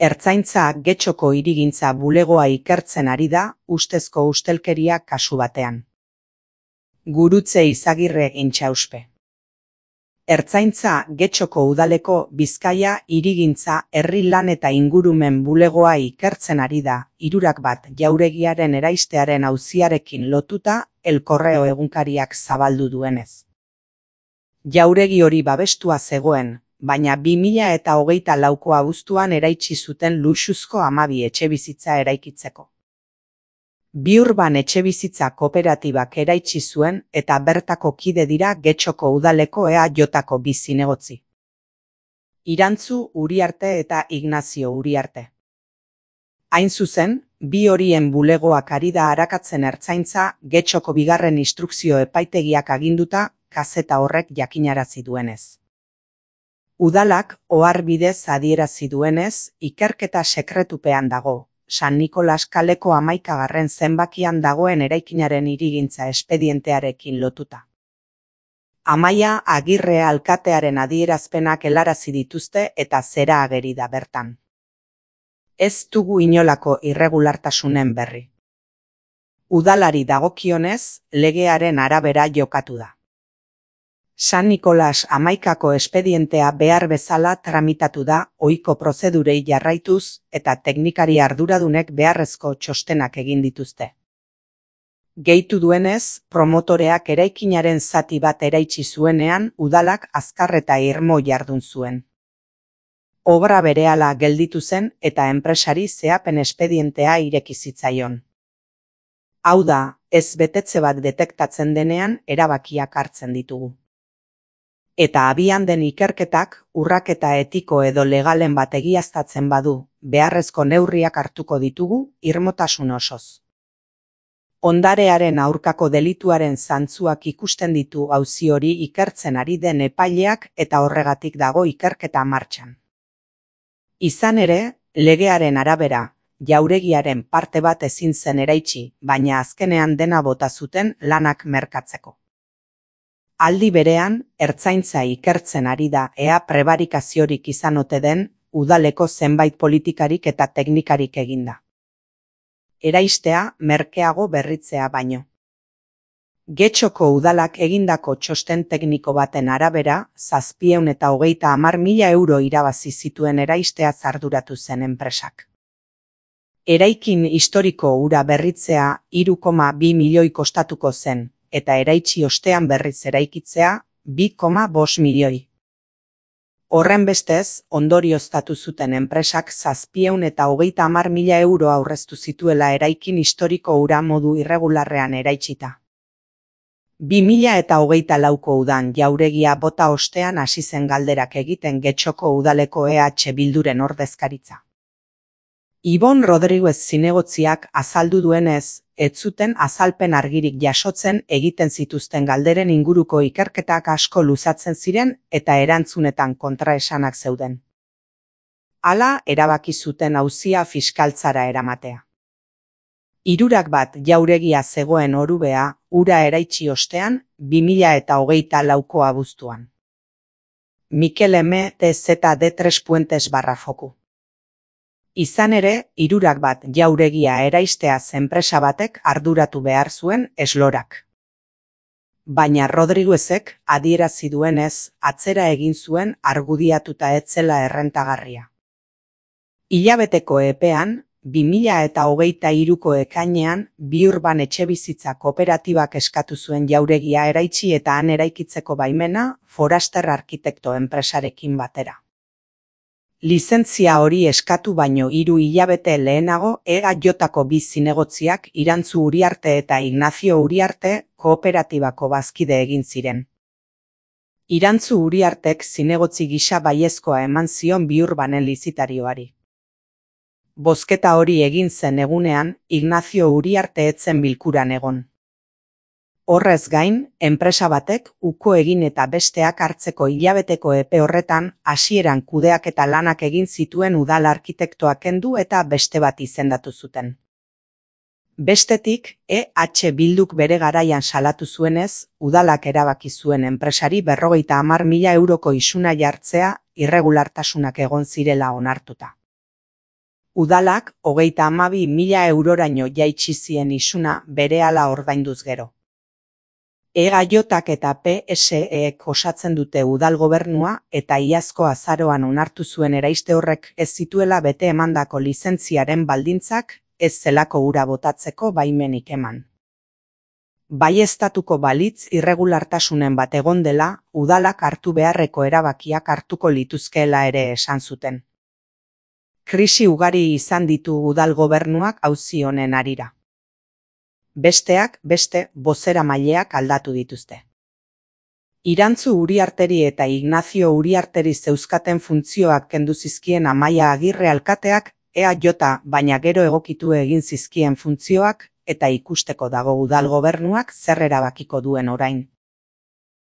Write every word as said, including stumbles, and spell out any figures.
Ertzaintza Getxoko hirigintza bulegoa ikertzen ari da, ustezko ustelkeria kasu batean. Gurutze Izagirre Intxauspe. Ertzaintza Getxoko udaleko Bizkaia hirigintza herri lan eta ingurumen bulegoa ikertzen ari da, hirurak bat jauregiaren eraistearen auziarekin lotuta, El Correo egunkariak zabaldu duenez. Jauregi hori babestua zegoen, baina bi mila eta hogeita lauko abuztuan eraitsi zuten luxuzko hamabi etxebizitza eraikitzeko. Biurban etxebizitza kooperatibak eraitsi zuen eta bertako kide dira Getxoko udaleko E A Jko bi zinegotzi. Irantzu Uriarte eta Ignazio Uriarte. Hain zuzen, bi horien bulegoak ari da arakatzen ertzaintza Getxoko bigarren instrukzio epaitegiak aginduta, kazeta horrek jakinarazi duenez. Udalak ohar bidez adierazi duenez, ikerketa sekretupean dago, San Nikolas kaleko hamaikagarren zenbakian dagoen eraikinaren hirigintza espedientearekin lotuta. Amaia Agirre alkatearen adierazpenak helarazi dituzte eta zera ageri da bertan. Ez dugu inolako irregulartasunen berri. Udalari dagokionez, legearen arabera jokatu da. San Nikolas hamaikako espedientea behar bezala tramitatu da, ohiko prozedurei jarraituz eta teknikari arduradunek beharrezko txostenak egin dituzte. Gehitu duenez, promotoreak eraikinaren zati bat eraitsi zuenean, udalak azkar eta irmo jardun zuen. Obra berehala gelditu zen eta enpresari zehapen espedientea ireki zitzaion. Hau da, ez betetze bat detektatzen denean erabakiak hartzen ditugu. Eta abian den ikerketak, urraketa etiko edo legalen bat egiaztatzen badu, beharrezko neurriak hartuko ditugu, irmotasun osoz. Ondarearen aurkako delituaren zantzuak ikusten ditu auzi hori ikertzen ari den epaileak eta horregatik dago ikerketa martxan. Izan ere, legearen arabera, jauregiaren parte bat ezin zen eraitsi, baina azkenean dena bota zuten lanak merkatzeko. Aldi berean, ertzaintza ikertzen ari da ea prebarikaziorik izan ote den, udaleko zenbait politikarik eta teknikarik eginda. Eraistea merkeago berritzea baino. Getxoko udalak egindako txosten tekniko baten arabera, zazpiehun eta hogeita hamar mila euro irabazi zituen eraistea arduratu zen enpresak. Eraikin historiko hura berritzea hiru koma bi milioi kostatuko zen, eta eraitsi ostean berriz eraikitzea bi koma bost milioi. Horrenbestez, ondorioztatu zuten enpresak zazpiehun eta hogeita hamar mila euro aurreztu zituela eraikin historiko hura modu irregularrean eraitsita. bi mila eta hogeita lauko udan jauregia bota ostean hasi zen galderak egiten Getxoko udaleko E H Bilduren ordezkaritza. Ibon Rodriguez zinegotziak azaldu duenez, ez zuten azalpen argirik jasotzen egiten zituzten galderen inguruko ikerketak asko luzatzen ziren eta erantzunetan kontraesanak zeuden. Hala erabaki zuten auzia fiskaltzara eramatea. Hirurak bat jauregia zegoen Orubea, ura eraitsi ostean, bi mila eta hogeita lauko abuztuan. Mikel M. T Z D tres Puentes barra foku. Izan ere, hirurak bat jauregia eraisteaz enpresa batek arduratu behar zuen eslorak. Baina Rodriguezek adierazi duenez, atzera egin zuen argudiatuta ez zela errentagarria. Hilabeteko epean, bi mila eta hogeita hiruko ekainean, Biurban etxebizitza kooperatibak eskatu zuen jauregia eraitsi eta han eraikitzeko baimena, Foraster Arkitekto enpresarekin batera. Lizentzia hori eskatu baino hiru hilabete lehenago E A Jko bi zinegotziak Irantzu Uriarte eta Ignazio Uriarte kooperatibako bazkide egin ziren. Irantzu Uriartek zinegotzi gisa baiezkoa eman zion Biurbanen lizitarioari. Bozketa hori egin zen egunean, Ignazio Uriarte ez zen bilkuran egon. Horrez gain, enpresa batek uko egin eta besteak hartzeko hilabeteko epe horretan hasieran kudeak eta lanak egin zituen udal arkitektoak kendu eta beste bat izendatu zuten. Bestetik, E H Bilduk bere garaian salatu zuenez, udalak erabaki zuen enpresari berrogeita hamar mila euroko isuna jartzea irregulartasunak egon zirela onartuta. Udalak hogeita hamabi mila euroraino jaitsi zien isuna berehala ordainduz gero. E G J-ak eta P S E-ek osatzen dute udal gobernua eta iazko azaroan onartu zuen eraiste horrek ez zituela bete emandako lizentziaren baldintzak ez zelako ura botatzeko baimenik eman. Baieztatuko balitz irregulartasunen bat egon dela, udalak hartu beharreko erabakiak hartuko lituzkeela ere esan zuten. Krisi ugari izan ditu udal gobernuak auzi honen harira. Besteak beste bozeramaileak aldatu dituzte. Irantzu Uriarteri eta Ignacio Uriarteri zeuzkaten funtzioak kendu zizkien Amaia Agirre alkateak E A J baina gero egokitu egin zizkien funtzioak eta ikusteko dago udal gobernuak zer erabakiko duen orain.